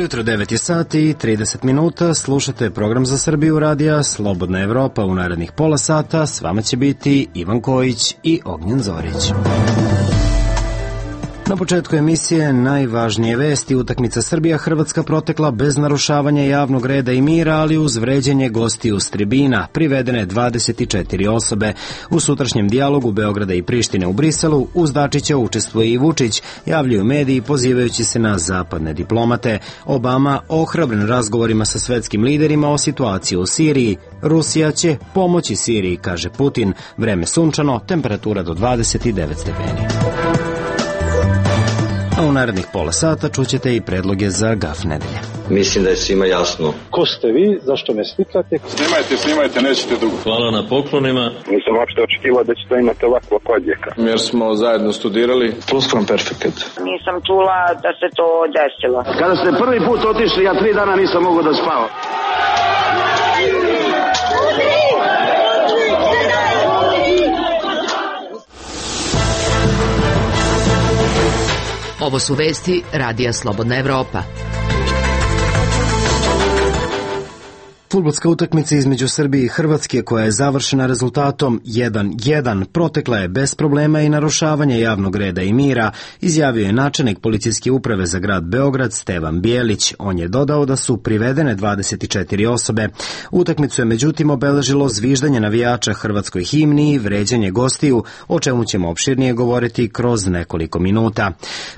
Dobro jutro, 9 sati i 30 minuta. Slušate program za Srbiju radija Slobodna Evropa. U narednih pola sata s vama će biti Ivan Kojić i Ognjen Zorić. Na početku emisije najvažnije vesti. Utakmica Srbija-Hrvatska protekla bez narušavanja javnog reda i mira, ali uz vređanje gostiju s tribina. Privedene 24 osobe. U sutrašnjem dijalogu Beograda i Prištine u Briselu uz Dačića učestvuje i Vučić, javljaju mediji pozivajući se na zapadne diplomate. Obama ohrabren razgovorima sa svetskim liderima o situaciji u Siriji. Rusija će pomoći Siriji, kaže Putin. Vreme sunčano, temperatura do 29 stepeni. A u narednih pola sata čućete i predloge za gaf nedelje. Mislim da je svima jasno. Ko ste vi, zašto me slikate? Snimajte, nećete dugo. Hvala na poklonima. Nisam uopšte očekivao da ćete imati ovakva odjeka. Jer smo zajedno studirali. Plusquamperfect. Nisam čula da se to desilo. Kada ste prvi put otišli, ja 3 dana nisam mogao da spavam. Ovo su vesti Radija Slobodna Evropa. Fudbalska utakmica između Srbije i Hrvatske, koja je završena rezultatom 1:1, protekla je bez problema i narušavanja javnog reda i mira, izjavio je načelnik policijske uprave za grad Beograd Stevan Bijelić. On je dodao da su privedene 24 osobe. Utakmicu je međutim obeležilo zviždanje navijača hrvatskoj himni i vređanje gostiju, o čemu ćemo opširnije govoriti kroz nekoliko minuta.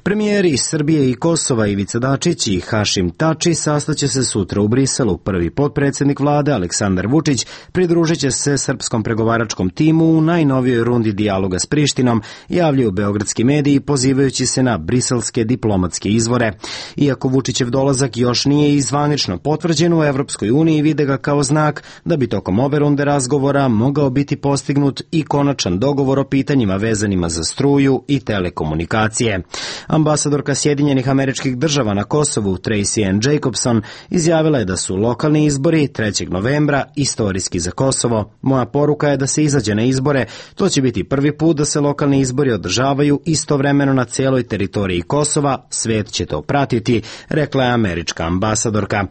Premijeri iz Srbije i Kosova Ivica Dačić i Hašim Tači sastaće se sutra u Briselu. Prvi potpredsednik vlade Aleksandar Vučić pridružit će se srpskom pregovaračkom timu u najnovijoj rundi dijaloga s Prištinom, javljaju beogradski mediji pozivajući se na briselske diplomatske izvore. Iako Vučićev dolazak još nije zvanično potvrđen, u Evropskoj uniji vide ga kao znak da bi tokom ove runde razgovora mogao biti postignut i konačan dogovor o pitanjima vezanima za struju i telekomunikacije. Ambasadorka Sjedinjenih Američkih Država na Kosovu Tracy Ann Jacobson izjavila je da su lokalni izbori 3. novembra istorijski za Kosovo. Moja poruka je da se izađe na izbore. To će biti prvi put da se lokalni izbori održavaju istovremeno na cijeloj teritoriji Kosova. Svet će to pratiti, rekla je američka ambasadorka.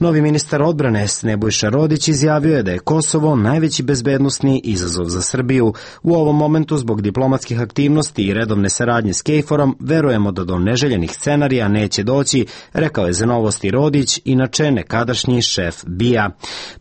Novi ministar odbrane Nebojša Rodić izjavio je da je Kosovo najveći bezbednosni izazov za Srbiju. U ovom momentu, zbog diplomatskih aktivnosti i redovne saradnje s KFOR-om, verujemo da do neželjenih scenarija neće doći, rekao je za Novosti Rodić, inače nekadašnji šef BIA.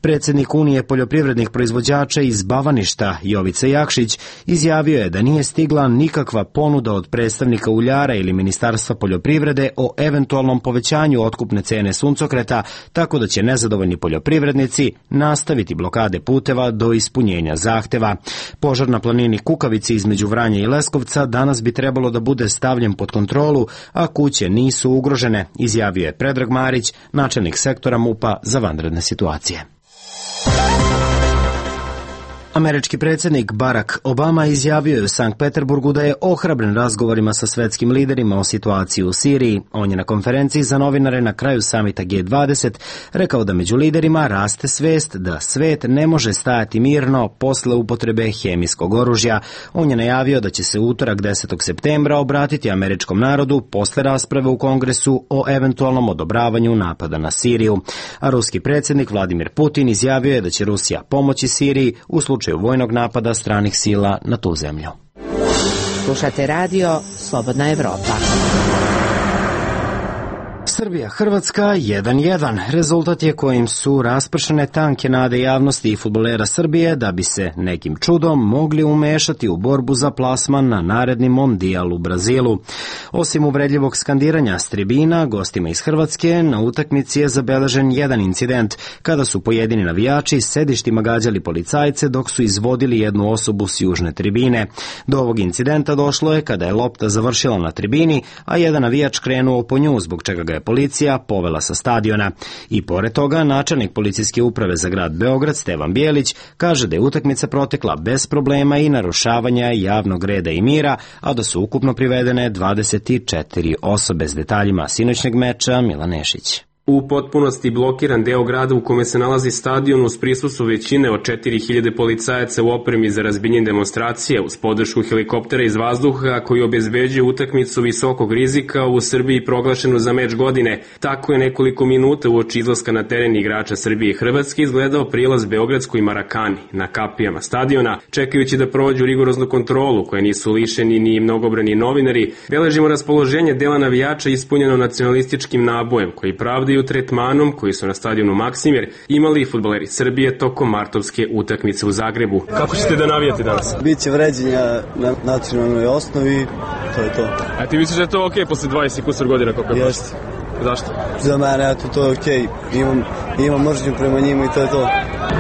Predsjednik Unije poljoprivrednih proizvođača iz Bavaništa Jovica Jakšić izjavio je da nije stigla nikakva ponuda od predstavnika uljara ili Ministarstva poljoprivrede o eventualnom povećanju otkupne cene suncokreta, tako da će nezadovoljni poljoprivrednici nastaviti blokade puteva do ispunjenja zahteva. Požar na planini Kukavici između Vranja i Leskovca danas bi trebalo da bude stavljen pod kontrolu, a kuće nisu ugrožene, izjavio je Predrag Marić, načelnik sektora MUP-a za vanredne situacije. Američki predsjednik Barack Obama izjavio je u Sankt Peterburgu da je ohrabren razgovorima sa svetskim liderima o situaciji u Siriji. On je na konferenciji za novinare na kraju samita G20 rekao da među liderima raste svest da svet ne može stajati mirno posle upotrebe hemijskog oružja. On je najavio da će se u utorak 10. septembra obratiti američkom narodu posle rasprave u Kongresu o eventualnom odobravanju napada na Siriju. A ruski predsjednik Vladimir Putin izjavio je da će Rusija pomoći Siriji u slučaju vojnog napada stranih sila na tu zemlju. Slušate radio Slobodna Evropa. Srbija-Hrvatska 1:1. Rezultat je kojim su raspršene tanke nade javnosti i fudbalera Srbije da bi se nekim čudom mogli umešati u borbu za plasman na naredni mondijal u Brazilu. Osim uvredljivog skandiranja s tribina, gostima iz Hrvatske na utakmici je zabeležen jedan incident kada su pojedini navijači sedištima gađali policajce dok su izvodili jednu osobu s južne tribine. Do ovog incidenta došlo je kada je lopta završila na tribini, a jedan navijač krenuo po nju, zbog čega ga je policija povela sa stadiona. I pored toga, načelnik policijske uprave za grad Beograd Stevan Bijelić kaže da je utakmica protekla bez problema i narušavanja javnog reda i mira, a da su ukupno privedene 24 osobe. S detaljima sinoćnjeg meča Milan Nešić. U potpunosti blokiran deo grada u kome se nalazi stadion uz prisustvo većine od 4000 policajaca u opremi za razbijenje demonstracije uz podršku helikoptera iz vazduha koji obezbeđuje utakmicu visokog rizika u Srbiji proglašenu za meč godine. Tako je nekoliko minuta uoči izlaska na teren igrača Srbije i Hrvatske izgledao prilaz beogradskoj Marakani na kapijama stadiona, čekajući da prođu rigoroznu kontrolu koje nisu lišeni ni mnogobrani novinari. Beležimo raspoloženje dela navijača ispunjeno nacionalističkim nabojem koji pravdaju tretmanom koji su na stadionu Maksimir imali fudbaleri Srbije tokom martovske utakmice u Zagrebu. Kako ćete da navijate danas? Biće vređenja na nacionalnoj osnovi, to je to. A ti misliš da je to okej posle 20 kusur godina koliko je? Jeste. Zašto? Za mene, eto, to je okej. Imam mržnju prema njima i to je to.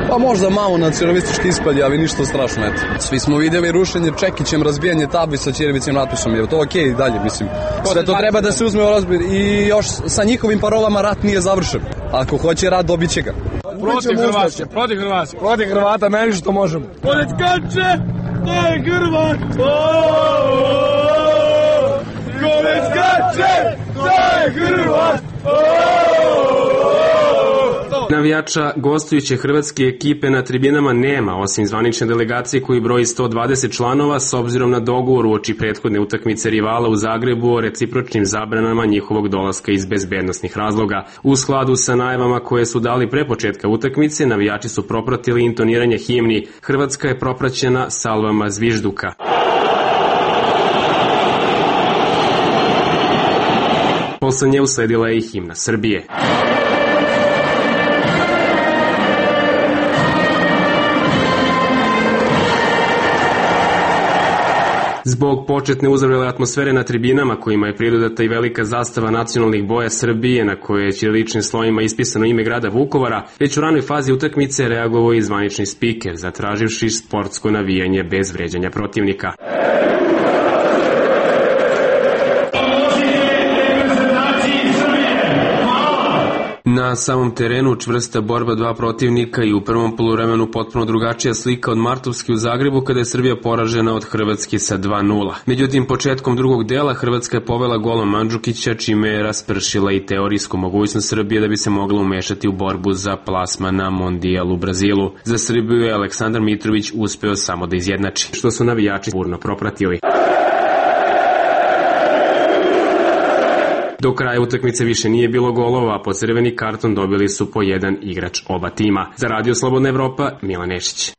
Pa možda malo nacionalistički ispalji, ali ništa strašno, eto. Svi smo vidjeli rušenje Čekićem, razbijanje tabli sa ćirivicim natpisom, je to okej dalje, mislim. Sve to treba da se uzme u razbir i još sa njihovim parolama rat nije završen. Ako hoće rat, dobit će ga. Protiv Hrvata, meni što možemo. Pored Kače, to je Hrvat! Pored Kače, to je Hrvat! Navijača gostujuće hrvatske ekipe na tribinama nema, osim zvanične delegacije koji broji 120 članova s obzirom na dogovor uoči prethodne utakmice rivala u Zagrebu o recipročnim zabranama njihovog dolaska iz bezbednosnih razloga. U skladu sa najavama koje su dali pre početka utakmice, navijači su propratili intoniranje himni. Hrvatska je propraćena salvama zvižduka. Posle nje usledila je i himna Srbije. Zbog početne uzavrele atmosfere na tribinama kojima je pridodata i velika zastava nacionalnih boja Srbije na kojoj je ćiriličnim slovima ispisano ime grada Vukovara, već u ranoj fazi utakmice reagovao i zvanični spiker, zatraživši sportsko navijanje bez vređanja protivnika. Na samom terenu čvrsta borba dva protivnika i u prvom poluvremenu potpuno drugačija slika od martovske u Zagrebu kada je Srbija poražena od Hrvatske sa 2:0. Međutim, početkom drugog dela Hrvatska je povela golom Mandžukića, čime je raspršila i teorijsku mogućnost Srbije da bi se mogla umešati u borbu za plasman na Mondijal u Brazilu. Za Srbiju je Aleksandar Mitrović uspeo samo da izjednači, što su navijači burno propratili. Do kraja utakmice više nije bilo golova, a po crveni karton dobili su po jedan igrač oba tima. Za Radio Slobodna Evropa, Milan Nešić.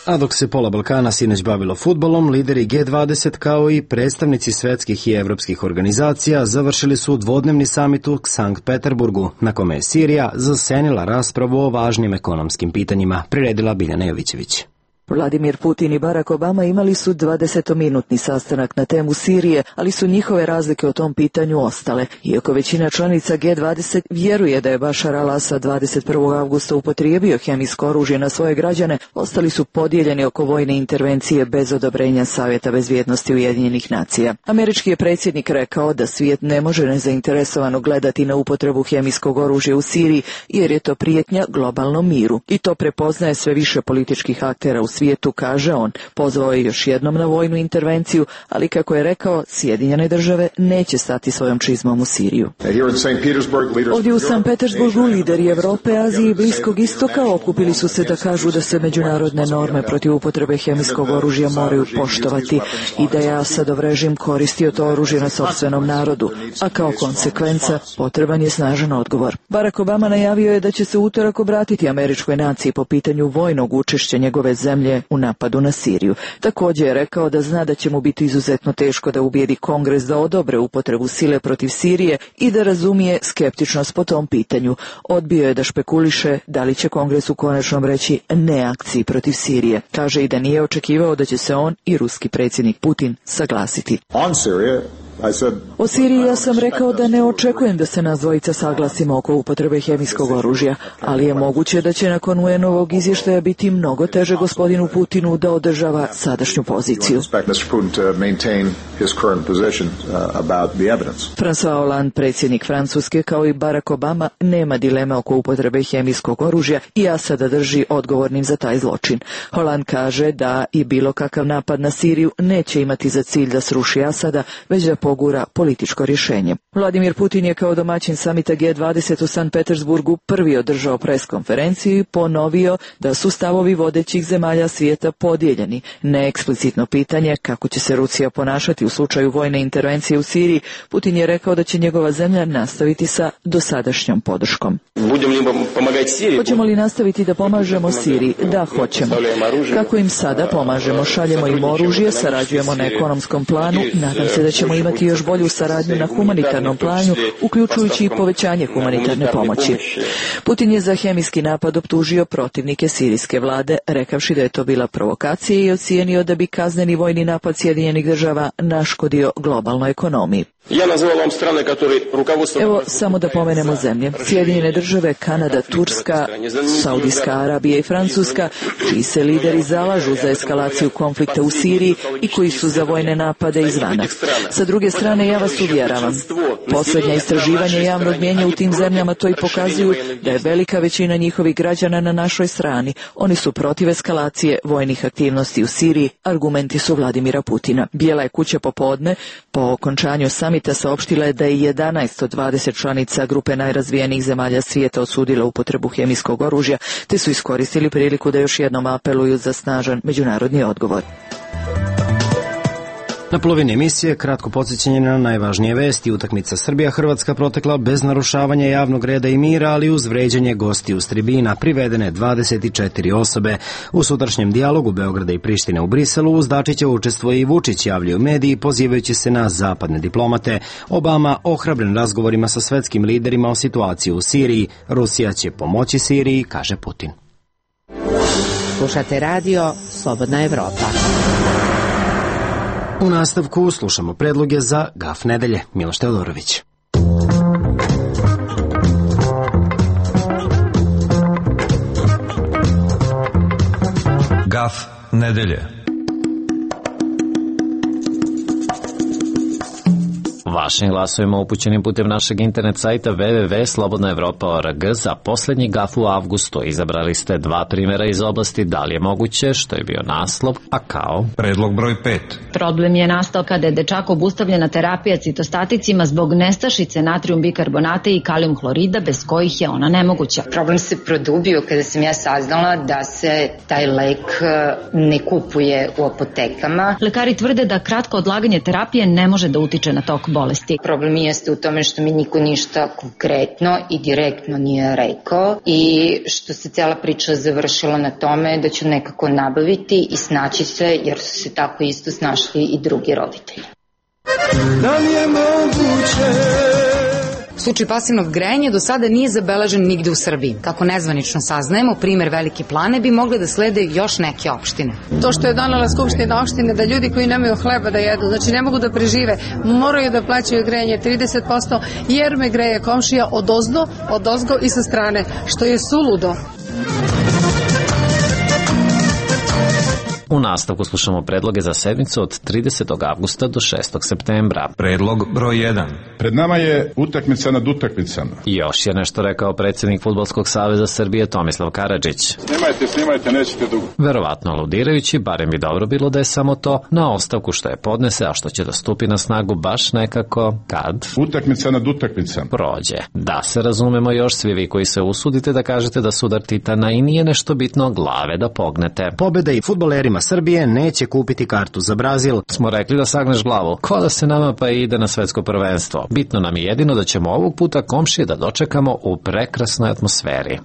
A dok se pola Balkana sinoć bavilo fudbalom, lideri G20 kao i predstavnici svetskih i evropskih organizacija završili su dvodnevni samit u Sankt Peterburgu, na kome je Sirija zasenila raspravu o važnim ekonomskim pitanjima, priredila Biljana Jovićević. Vladimir Putin i Barack Obama imali su 20-minutni sastanak na temu Sirije, ali su njihove razlike o tom pitanju ostale. Iako većina članica G20 vjeruje da je Bašar al-Asad 21. avgusta upotrijebio hemijsko oružje na svoje građane, ostali su podijeljeni oko vojne intervencije bez odobrenja Savjeta bezbjednosti Ujedinjenih nacija. Američki je predsjednik rekao da svijet ne može nezainteresovano gledati na upotrebu hemijskog oružja u Siriji, jer je to prijetnja globalnom miru. I to prepoznaje sve više političkih aktera u svijetu, kaže on. Pozvao je još jednom na vojnu intervenciju, ali kako je rekao, Sjedinjene države neće stati svojom čizmom u Siriju. Ovdje u Sankt Petersburgu lideri Evrope, Azije i Bliskog istoka okupili su se da kažu da se međunarodne norme protiv upotrebe hemijskog oružja moraju poštovati i da je Asadov režim koristio to oružje na sopstvenom narodu, a kao konsekvenca potreban je snažan odgovor. Barack Obama najavio je da će se u utorak obratiti američkoj naciji po pitanju vojnog učešća njegove zemlje u napadu na Siriju. Također je rekao da zna da će mu biti izuzetno teško da ubijedi Kongres da odobre upotrebu sile protiv Sirije i da razumije skeptičnost po tom pitanju. Odbio je da špekuliše da li će Kongres u konačnom reći ne akciji protiv Sirije. Kaže i da nije očekivao da će se on i ruski predsjednik Putin saglasiti. O Siriji ja sam rekao da ne očekujem da se nas dvojica saglasimo oko upotrebe hemijskog oružja, ali je moguće da će nakon UN-ovog izvještaja biti mnogo teže gospodinu Putinu da održava sadašnju poziciju. François Hollande, predsjednik Francuske, kao i Barack Obama, nema dileme oko upotrebe hemijskog oružja i Asada drži odgovornim za taj zločin. Hollande kaže da i bilo kakav napad na Siriju neće imati za cilj da sruši Asada, već da progura političko rješenje. Vladimir Putin je kao domaćin samita G20 u Sankt Petersburgu prvi održao preskonferenciju i ponovio da su stavovi vodećih zemalja svijeta podijeljeni. Neeksplicitno pitanje kako će se Rusija ponašati u slučaju vojne intervencije u Siriji, Putin je rekao da će njegova zemlja nastaviti sa dosadašnjom podrškom. Hoćemo li nastaviti da pomažemo Siriji? Da, hoćemo. Kako im sada pomažemo? Šaljemo im oružje, sarađujemo na ekonomskom planu, nadam se da ćemo imati još bolju saradnju na humanitarnom planu, uključujući i povećanje humanitarne pomoći. Putin je za hemijski napad optužio protivnike sirijske vlade, rekavši da je to bila provokacija i ocijenio da bi kazneni vojni napad Sjedinjenih država naškodio globalnoj ekonomiji. Evo samo da pomenemo zemlje. Sjedinjene države, Kanada, Turska, Saudijska Arabija i Francuska, čiji se lideri zalažu za eskalaciju konflikta u Siriji i koji su za vojne napade izvana. Sa druge strane, ja vas uvjeravam, posljednja istraživanja javnog mnijenja u tim zemljama to i pokazuju da je velika većina njihovih građana na našoj strani. Oni su protiv eskalacije vojnih aktivnosti u Siriji, argumenti su Vladimira Putina. Bijela je kuća popodne, po okončanju samita saopštila je da je 11 od 20 članica grupe najrazvijenijih zemalja svijeta osudila upotrebu hemijskog oružja, te su iskoristili priliku da još jednom apeluju za snažan međunarodni odgovor. Na polovini emisije kratko podsjećanje na najvažnije vesti. Utakmica Srbija-Hrvatska protekla bez narušavanja javnog reda i mira, ali uz vređanje gostiju s tribina, privedene 24 osobe. U sutrašnjem dijalogu Beograda i Prištine u Briselu uz Dačića učestvuje i Vučić, javljaju mediji pozivajući se na zapadne diplomate. Obama ohrabren razgovorima sa svetskim liderima o situaciji u Siriji. Rusija će pomoći Siriji, kaže Putin. Slušate radio Slobodna Evropa. U nastavku slušamo predloge za Gaf nedelje. Miloš Teodorović. Gaf nedelje. Vašim glasovima upućenim putem našeg internet sajta www.slobodnaevropa.org za posljednji gaf u avgustu izabrali ste dva primjera iz oblasti da li je moguće, što je bio naslov, a kao predlog broj 5. Problem je nastao kada je dečak obustavljena terapija citostaticima zbog nestašice natrijum bikarbonata i kalijum hlorida, bez kojih je ona nemoguća. Problem se produbio kada sam ja saznala da se taj lek ne kupuje u apotekama. Lekari tvrde da kratko odlaganje terapije ne može da utiče na tok bolesti. Problem jeste u tome što mi niko ništa konkretno i direktno nije rekao i što se cijela priča završila na tome da ću nekako nabaviti i snaći se, jer su se tako isto snašli i drugi roditelji. Da li je moguće? Slučaj pasivnog grejanja do sada nije zabeležen nigde u Srbiji. Kako nezvanično saznajemo, primer Velike Plane bi mogle da slede još neke opštine. To što je donela Skupština opštine da ljudi koji nemaju hleba da jedu, znači ne mogu da prežive, moraju da plaćaju grejanje 30%, jer me greje komšija odozgo i sa strane, što je suludo. U nastavku slušamo predloge za sedmicu od 30. avgusta do 6. septembra. Predlog broj 1. Pred nama je utakmica nad utakmicama. Još je nešto rekao predsjednik Fudbalskog saveza Srbije Tomislav Karadžić. Snimajte, nećete dugo. Verovatno aludirajući, barem bi dobro bilo da je samo to, na ostavku što je podnese, a što će da stupi na snagu baš nekako kad utakmica nad utakmicama prođe. Da se razumemo još svi vi koji se usudite da kažete da sudar Titana i nije nešto bitno, glave da pognete. Pobjeda i fudbalerima Srbije neće kupiti kartu za Brazil. Smo rekli da sagneš glavu. Ko da se nama pa ide na svetsko prvenstvo. Bitno nam je jedino da ćemo ovog puta komšije da dočekamo u prekrasnoj atmosferi.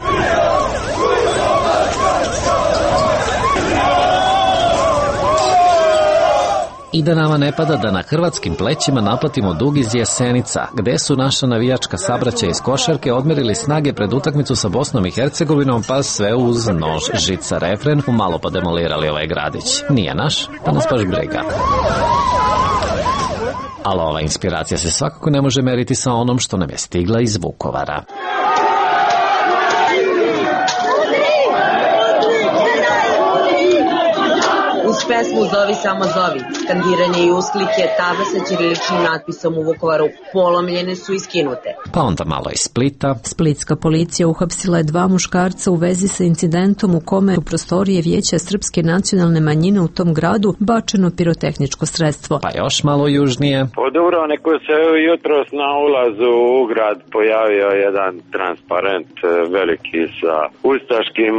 I da nama ne pada da na hrvatskim plećima naplatimo dug iz Jesenica, gde su naša navijačka sabraća iz košarke odmerili snage pred utakmicu sa Bosnom i Hercegovinom, pa sve uz nož, žica, refren, umalo pa demolirali ovaj gradić. Nije naš, pa nas baš briga. Ali ova inspiracija se svakako ne može meriti sa onom što nam je stigla iz Vukovara. pesmu Zovi samo zovi. Skandiranje i usklike, table sa ćiriličnim natpisom u Vukovaru polomljene su i skinute. Pa onda malo iz Splita. Splitska policija uhapsila je 2 muškarca u vezi sa incidentom u kome u prostorije Vijeća srpske nacionalne manjine u tom gradu bačeno pirotehničko sredstvo. Pa još malo južnije. Po Dubrovniku se jutros na ulazu u grad pojavio jedan transparent veliki sa ustaškim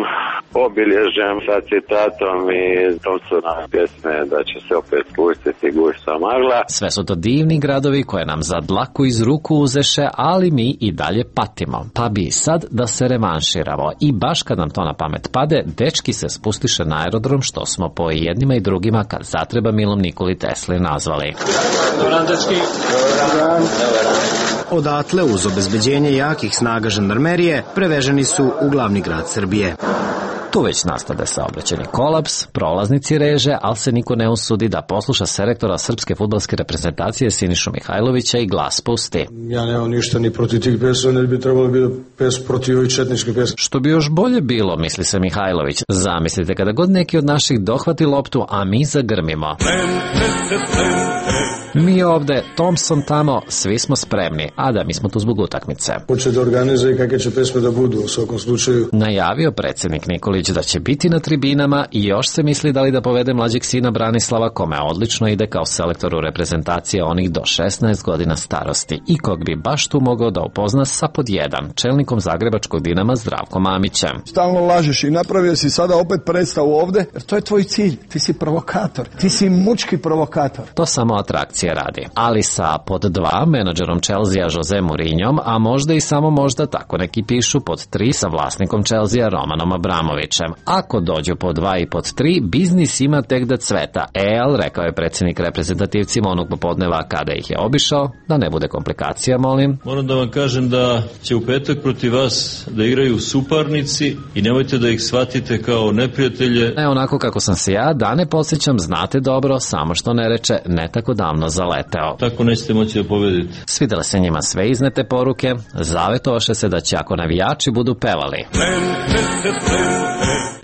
obilježjem, sa citatom i to su nam pjesme da će se opet spustiti gušta magla. Sve su to divni gradovi koje nam za dlaku iz ruku uzeše, ali mi i dalje patimo. Pa bi sad da se revanširamo i baš kad nam to na pamet pade, dečki se spustiše na aerodrom što smo po jednima i drugima kad zatreba Milom Nikoli Tesli nazvali. Dobar dečki. Odatle, uz obezbeđenje jakih snaga žandarmerije, preveženi su u glavni grad Srbije. Tu već nastade saobraćajni kolaps, prolaznici reže, ali se niko ne usudi da posluša selektora srpske fudbalske reprezentacije Sinišu Mihajlovića i glas pusti. Ja nemam ništa ni protiv tih pesma, ne bi trebalo biti pes protiv ovih četničke pesme. Što bi još bolje bilo, misli se Mihajlović. Zamislite kada god neki od naših dohvati loptu, a mi zagrmimo. Mi ovde, Thompson tamo, svi smo spremni, a da mi smo tu zbog utakmice. Hoće da organizuje kakve će pesme da budu u svakom slučaju. Najavio predsjednik Nikolić da će biti na tribinama i još se misli da li da povede mlađeg sina Branislava, kome odlično ide kao selektoru reprezentacije onih do 16 godina starosti i kog bi baš tu mogao da upozna sa pod 1, čelnikom zagrebačkog Dinama Zdravkom Mamićem. Stalno lažeš i napravio si sada opet predstavu ovde, jer to je tvoj cilj. Ti si provokator, ti si mučki provokator. To samo atrakcije radi. Ali sa pod 2 menadžerom Chelsea Jose Mourinhom, a možda i samo možda, tako neki pišu, pod 3 sa vlasnikom Chelsea Romanom Abramovićem. Ako dođu pod 2 i pod 3, biznis ima tek da cveta. Rekao je predsjednik reprezentativcima onog popodneva kada ih je obišao, da ne bude komplikacija, molim. Moram da vam kažem da će u petak protiv vas da igraju suparnici i nemojte da ih shvatite kao neprijatelje. Onako kako sam se ja, da ne podsjećam, znate dobro, samo što ne reče, ne tako davno zaleteo. Tako nećete moći da pobedite. Svidjele se njima sve iznete poruke, zavetoše se da će ako navijači budu pevali,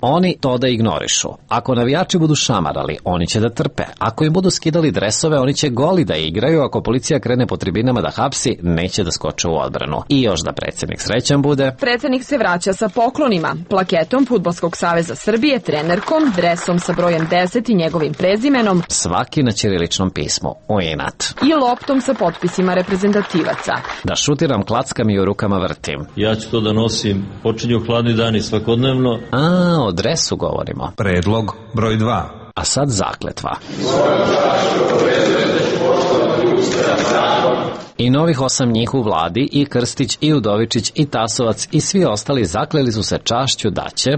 oni to da ignorišu. Ako navijači budu šamarali, oni će da trpe. Ako im budu skidali dresove, oni će goli da igraju. Ako policija krene po tribinama da hapsi, neće da skoče u odbranu. I još da predsjednik srećan bude. Predsjednik se vraća sa poklonima, plaketom Fudbalskog saveza Srbije, trenerkom, dresom sa brojem 10 i njegovim prezimenom, svaki na ćiriličnom pismu, u inat, i loptom sa potpisima reprezentativaca. Da šutiram, klackam i u rukama vrtim. Ja ću to da nosim, počinju hladni dani svakodnevno. O dresu govorimo. Predlog broj 2. A sad zakletva. I novih 8 njih u vladi, i Krstić, i Udovičić, i Tasovac, i svi ostali zakleli su se čašću da će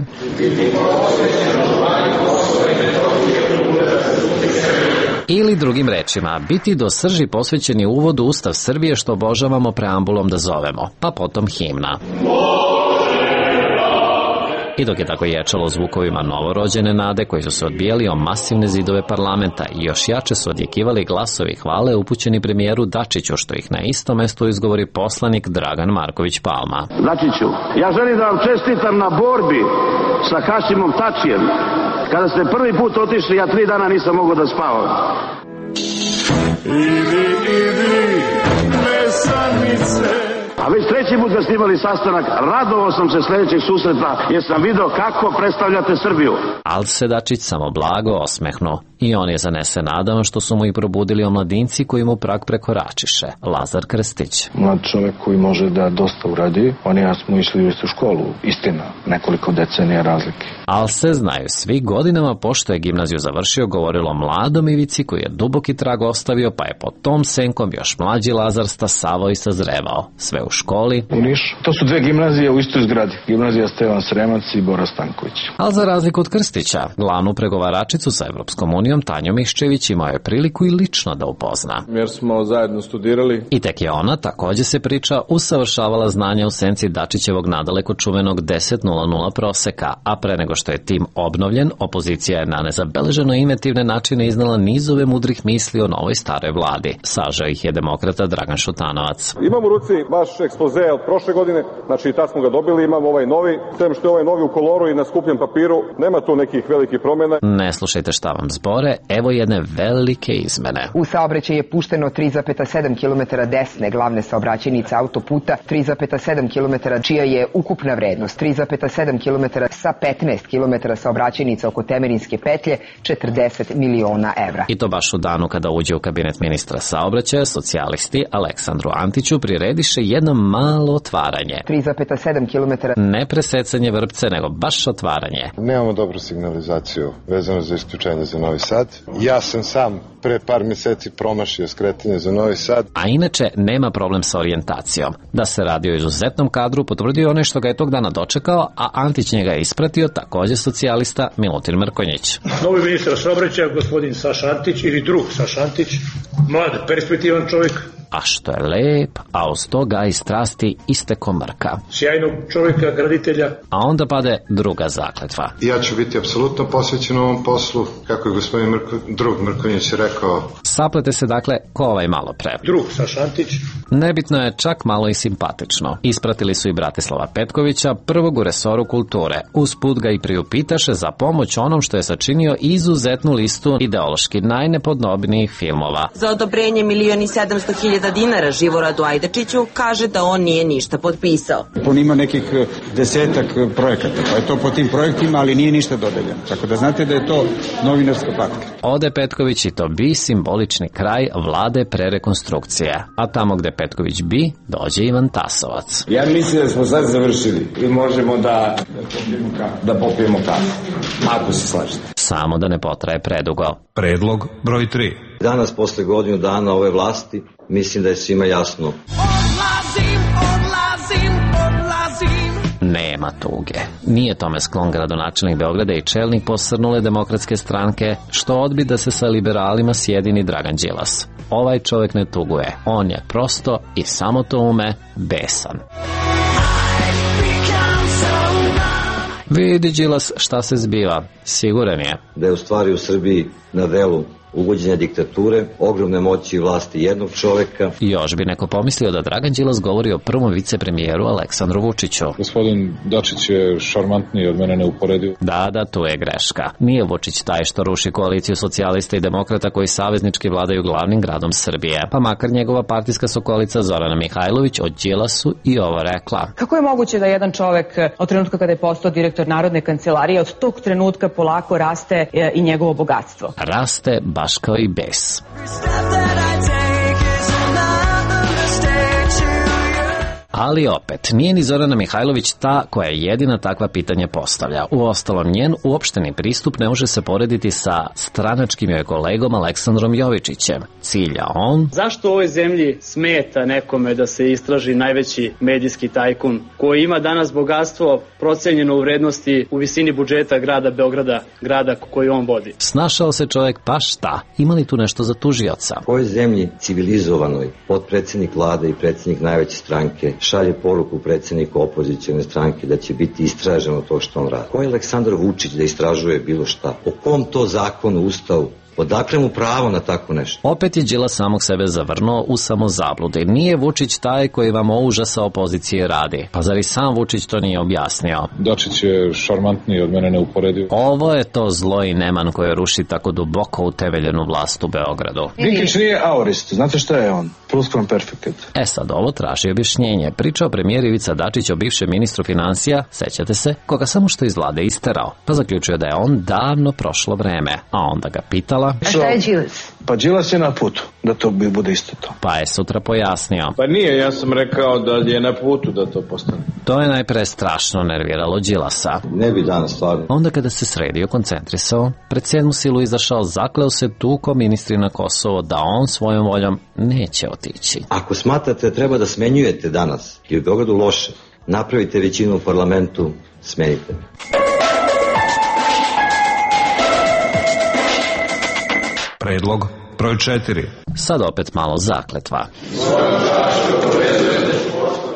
ili drugim rečima, biti do srži posvećeni uvodu Ustav Srbije što obožavamo preambulom da zovemo, pa potom himna. I dok je tako ječalo zvukovima novorođene nade koji su se odbijali o masivne zidove parlamenta i još jače su odjekivali glasovi hvale upućeni premijeru Dačiću, što ih na isto mesto izgovori poslanik Dragan Marković Palma. Dačiću, ja želim da vam čestitam na borbi sa Hašimom Tačijem. Kada ste prvi put otišli, ja 3 dana nisam mogao da spavam. Idi, mesanice. A već 3. put kad ste imali sastanak, radovao sam se sljedećeg susreta jer sam video kako predstavljate Srbiju. Al se Dačić samo blago osmehnu i on je zanesen nadama što su mu i probudili omladinci koji mu prag prekoračiše. Lazar Krstić. Mlad čovjek koji može da dosta uradi, oni ja smo išli u istu školu, istina, nekoliko decenija razlike. Al se znaju svi, godinama pošto je gimnaziju završio govorilo mladom Ivici koji je duboki trag ostavio, pa je pod tom senkom još mlađi Lazar stasavao i sazrevao. Sve u školi. U Nišu. To su 2 gimnazije u istoj zgradi. Gimnazija Stevan Sremac i Bora Stanković. Al za razliku od Krstića, glavnu pregovaračicu sa Evropskom unijom Tanju Miščević imao je priliku i lično da upozna. Jer smo zajedno studirali. I tek je ona, također se priča, usavršavala znanja u senci Dačićevog nadaleko čuvenog 10.00 proseka, a pre nego što je tim obnovljen, opozicija je na nezabeleženo inventivne načine iznala nizove mudrih misli o novoj staroj vladi. Sažao ih je demokrata Dragan Šutanovac. Imam u ruci vaš ekspoze od prošle godine, znači tad smo ga dobili, imamo ovaj novi, sem što je ovaj novi u koloru i na skupljem papiru, nema tu nekih velikih promjena. Ne slušajte šta vam zbori. gore, evo jedne velike izmene. U saobraćaj je pušteno 3,7 km desne glavne saobraćajnice autoputa, 3,7 km čija je ukupna vrednost, 3,7 km sa 15 km saobraćajnica oko Temerinske petlje, 40 miliona evra. I to baš u danu kada uđe u kabinet ministra saobraćaja, socijalisti Aleksandru Antiću prirediše jedno malo otvaranje. 3,7 km. Ne presecanje vrpce, nego baš otvaranje. Nemamo dobru signalizaciju vezano za isključenje za Novi Sad. Ja sam sam pre par mjeseci promašio skretanje za Novi Sad. A inače nema problem sa orijentacijom. Da se radi o izuzetnom kadru potvrdio onaj što ga je tog dana dočekao, a Antić njega je ispratio također socijalista Milutin Mrkonjić. Novi ministar saobraćaja, gospodin Saša Antić ili drug Saša Antić, mlad, perspektivan čovjek. A što je lep, a uz to ga i strasti isteko Mrka. Sjajnog čovjeka, graditelja. A onda pade druga zakletva. Ja ću biti apsolutno posvećen ovom poslu, kako je gospodin drug Mrkonjić rekao. Saplete se dakle ko ovaj malo pre. Drug Saša Antić. Nebitno je čak malo i simpatično. Ispratili su i Bratislava Petkovića, prvog u resoru kulture. Usput ga i priupitaše za pomoć onom što je sačinio izuzetnu listu ideološki najnepodobnijih filmova. Za odobrenje 1.700.000 dinara Živoradu Ajdačiću kaže da on nije ništa potpisao. On ima nekih 10 projekata, pa je to po tim projektima, ali nije ništa dodeljeno. Tako da znate da je to novinarska patka. Ode Petković i to bi simbolični kraj vlade prerekonstrukcije. A tamo gde Petković bi, dođe Ivan Tasovac. Ja mislim da smo sad završili i možemo da popijemo kafu, ako se slažete. Samo da ne potraje predugo. Predlog broj 3. Danas, posle godinu dana ove vlasti, mislim da je svima jasno. Odlazim. Nema tuge. Nije tome sklon gradonačelnik Beograda i čelnik posrnule Demokratske stranke, što odbi da se sa liberalima sjedini Dragan Đilas. Ovaj čovjek ne tuguje. On je prosto i samo to ume besan. Vidi Đilas šta se zbiva. Siguran je da je u stvari u Srbiji na delu uvođenja diktature, ogromne moći i vlasti jednog čoveka. Još bi neko pomislio da Dragan Đilas govori o prvom vicepremijeru Aleksandru Vučiću. Gospodin Dačić je šarmantniji od mene neuporedivo. Da, tu je greška. Nije Vučić taj što ruši koaliciju socijalista i demokrata koji saveznički vladaju glavnim gradom Srbije. Pa makar njegova partijska sokolica Zorana Mihajlović o Đilasu i ovo rekla. Kako je moguće da jedan čovek od trenutka kada je postao direktor Narodne kancelarije od tog trenutka polako raste i njegovo bogatstvo? Raste baš kao i bes. Ali opet, nije ni Zorana Mihajlović ta koja jedina takva pitanja postavlja. Uostalom, njen uopšteni pristup ne može se porediti sa stranačkim joj kolegom Aleksandrom Jovičićem. Cilja on... Zašto u ovoj zemlji smeta nekome da se istraži najveći medijski tajkun koji ima danas bogatstvo procenjeno u vrednosti u visini budžeta grada Beograda, grada koji on vodi? Snašao se čovjek, pa šta? Ima li tu nešto za tužioca? U ovoj zemlji civilizovanoj potpredsednik vlade i predsednik najveće stranke šalje poruku predsjedniku opozicijone stranke da će biti istraženo to što on radi. Ko je Aleksandar Vučić da istražuje bilo šta? O kom to zakonu, ustavu? Odakle mu pravo na tako nešto? Opet je Đilas samog sebe zavrnuo u samozabludi. Nije Vučić taj koji vam o užasa opozicije radi. Pa zar i sam Vučić to nije objasnio? Dačić je šarmantniji od mene neuporedivo. Ovo je to zlo i neman koje ruši tako duboko utemeljenu vlast u Beogradu. Dinkić nije aorist, znate šta je on? Pluskvamperfekt. Sad ovo traži objašnjenje. Pričao premijer Ivica Dačić o bivšem ministru finansija, sećate se, koga samo što iz vlade isterao. Pa zaključio da je on davno prošlo vreme. A onda ga pitala... A šta je Đilas? Pa Đilas je na putu da to bude isto to. Pa je sutra pojasnio. Pa nije, ja sam rekao da je na putu da to postane. To je najpre strašno nerviralo Đilasa. Ne bi danas stvarno. Onda kada se sredio, koncentrisao, pred 7. silu izašao, zakleo se tuko ministri na Kosovo da on svojom voljom neće otići. Ako smatrate da treba da smenjujete danas i u Beogradu loše, napravite većinu u parlamentu, smenite. Predlog broj 4. Sad opet malo zakletva.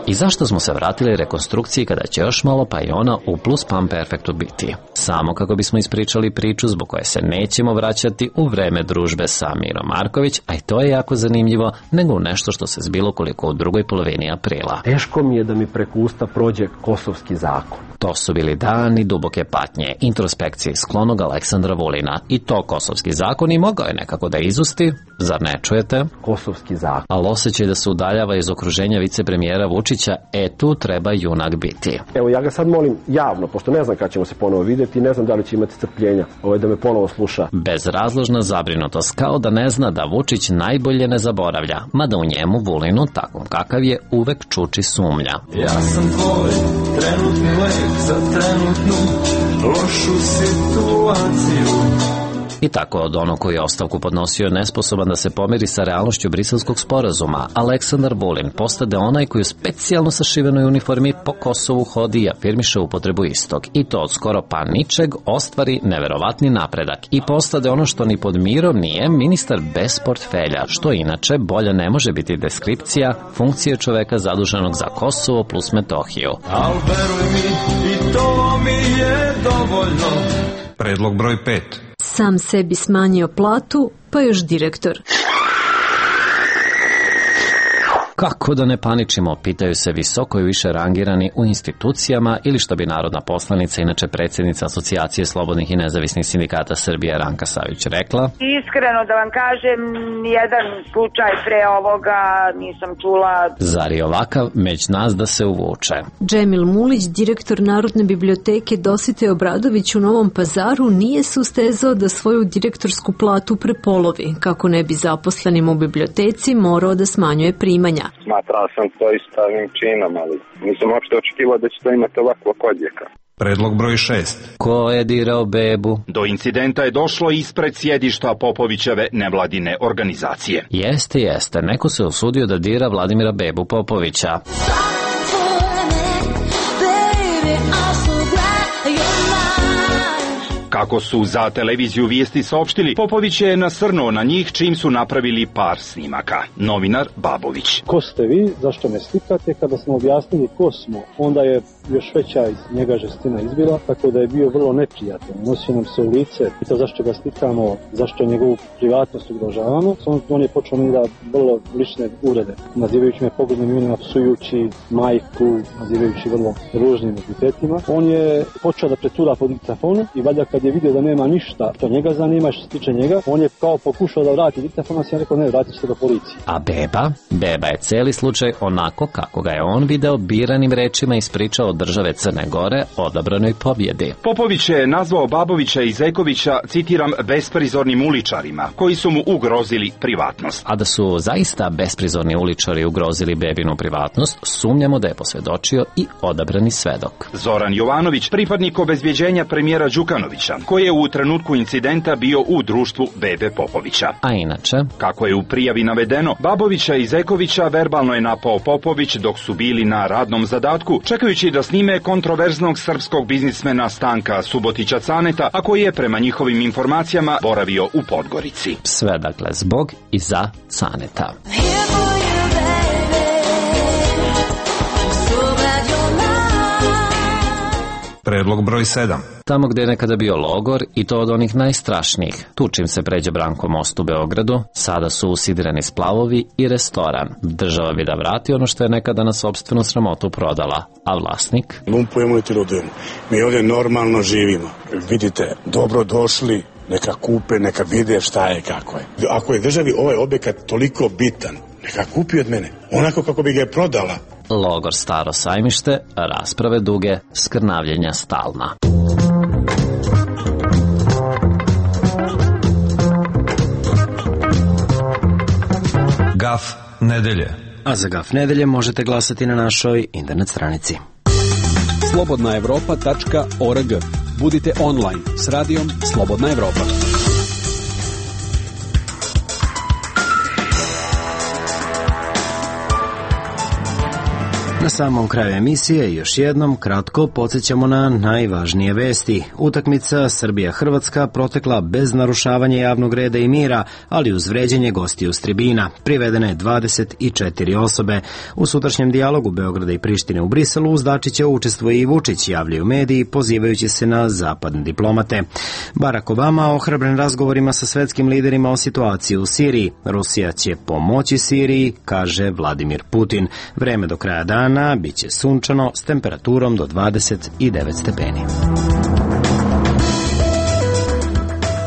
I zašto smo se vratili rekonstrukciji kada će još malo pa i ona u pluskvamperfektu biti? Samo kako bismo ispričali priču zbog koje se nećemo vraćati u vreme družbe sa Mirom Marković, a i to je jako zanimljivo, nego u nešto što se zbilo koliko u drugoj polovini aprila. Teško mi je da mi preko usta prođe kosovski zakon. To su bili dani duboke patnje, introspekcije sklonog Aleksandra Vulina. I to kosovski zakon i mogao je nekako da izusti, zar ne čujete? Kosovski zakon. Ali osjećaj da se udaljava iz okruženja vicepremijera Vučića, tu treba junak biti. Evo, ja ga sad molim javno, pošto ne znam kada ćemo se ponovo vidjeti, ne znam da li će imati strpljenja da me ponovo sluša. Bezrazložna zabrinutost, kao da ne zna da Vučić najbolje ne zaboravlja, mada u njemu Vulinu, takvom kakav je, uvek čuči sumnja. Ja sam tvoj trenutni lek za trenutnu lošu situaciju. I tako od onog koji je ostavku podnosio nesposoban da se pomiri sa realnošću briselskog sporazuma, Aleksandar Vulin postade onaj koji u specijalno sašivenoj uniformi po Kosovu hodi i afirmiše upotrebu istog. I to od skoro pa ničeg ostvari neverovatni napredak i postade ono što ni pod mirom nije, ministar bez portfelja, što inače bolja ne može biti deskripcija funkcije čoveka zaduženog za Kosovo plus Metohiju. Al veruj mi, i to mi je dovoljno. Predlog broj 5. Sam sebi smanjio platu, pa još direktor. Kako da ne paničimo, pitaju se visoko i više rangirani u institucijama ili što bi narodna poslanica, inače predsjednica Asocijacije slobodnih i nezavisnih sindikata Srbije Ranka Savić rekla. Iskreno da vam kažem, nijedan slučaj pre ovoga nisam čula. Zar je ovakav među nas da se uvuče? Džemil Mulić, direktor Narodne biblioteke Dositej Obradović u Novom Pazaru, nije sustezao da svoju direktorsku platu prepolovi, kako ne bi zaposlenim u biblioteci morao da smanjuje primanja. Smatrao sam to istavnim činom, ali nisam uopšte očekivao da će to imati ovakvog odjeka. Predlog broj 6. Ko je dirao bebu? Do incidenta je došlo ispred sjedišta Popovićeve nevladine organizacije. Jeste, neko se usudio da dira Vladimira Bebu Popovića. Kako su za televiziju Vijesti saopštili, Popović je nasrnuo na njih čim su napravili par snimaka. Novinar Babović. Ko ste vi, zašto me slikate? Kada smo objasnili ko smo, onda je još veća iz njega žestina izbila, tako da je bio vrlo neprijatan. Nosio nam se u lice, pitao zašto ga slikamo, zašto njegovu privatnost ugrožavamo. On je počeo mi da vrlo lične uvrede, nazivajući me poglednim imenima, psujući majku, nazivajući vrlo ružnim epitetima. On je počeo da pretura po diktafonu i valjda kad je vidio da nema ništa što njega zanima, što se tiče njega, on je kao pokušao da vrati diktafon, a sam rekao ne, vratit ćete ga policiji. A Beba je cijeli slučaj onako kako ga je on video biranim rečima ispričao od države Crne Gore odabranoj pobjedi. Popović je nazvao Babovića i Zekovića, citiram, besprizornim uličarima, koji su mu ugrozili privatnost. A da su zaista besprizorni uličari ugrozili Bebinu privatnost, sumnjamo da je posvedočio i odabrani svedok. Zoran Jovanović, pripadnik obezbjeđenja premijera Đukanovića, koji je u trenutku incidenta bio u društvu Bebe Popovića. A inače, kako je u prijavi navedeno, Babovića i Zekovića verbalno je napao Popović dok su bili na radnom zadatku, čekajući da snime kontroverznog srpskog biznismena Stanka Subotića Caneta, a koji je prema njihovim informacijama boravio u Podgorici. Sve dakle zbog i za Caneta. Predlog broj 7. Tamo gde je nekada bio logor, i to od onih najstrašnijih, tu čim se pređe Branko most u Beogradu, sada su usidirani splavovi i restoran. Država bi da vrati ono što je nekada na sopstvenu sramotu prodala, a vlasnik? Lumpujemo i tirudujemo. Mi ovdje normalno živimo. Vidite, dobro došli, neka kupe, neka vide šta je, kako je. Ako je državi ovaj objekat toliko bitan, neka kupi od mene, onako kako bi ga je prodala. Logor Staro sajmište, rasprave duge, skrnavljenja stalna. Gaf nedelje. A za Gaf nedelje možete glasati na našoj internet stranici. slobodnaevropa.org. Budite online s radijom Slobodna Evropa. Na samom kraju emisije još jednom kratko podsjećamo na najvažnije vesti. Utakmica Srbija-Hrvatska protekla bez narušavanja javnog reda i mira, ali uz vređenje gostiju s tribina. Privedene 24 osobe. U sutrašnjem dijalogu Beograda i Prištine u Briselu uz Dačića učestvuje i Vučić, javljaju mediji pozivajući se na zapadne diplomate. Barack Obama ohrabren razgovorima sa svetskim liderima o situaciji u Siriji. Rusija će pomoći Siriji, kaže Vladimir Putin. Vreme do kraja dana dana biće sunčano s temperaturom do 29 stepeni.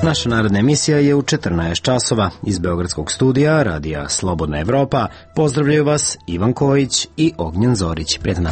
Naša naredna emisija je u 14 časova. Iz Beogradskog studija radija Slobodna Evropa pozdravljaju vas Ivan Kojić i Ognjen Zorić. Prijetno.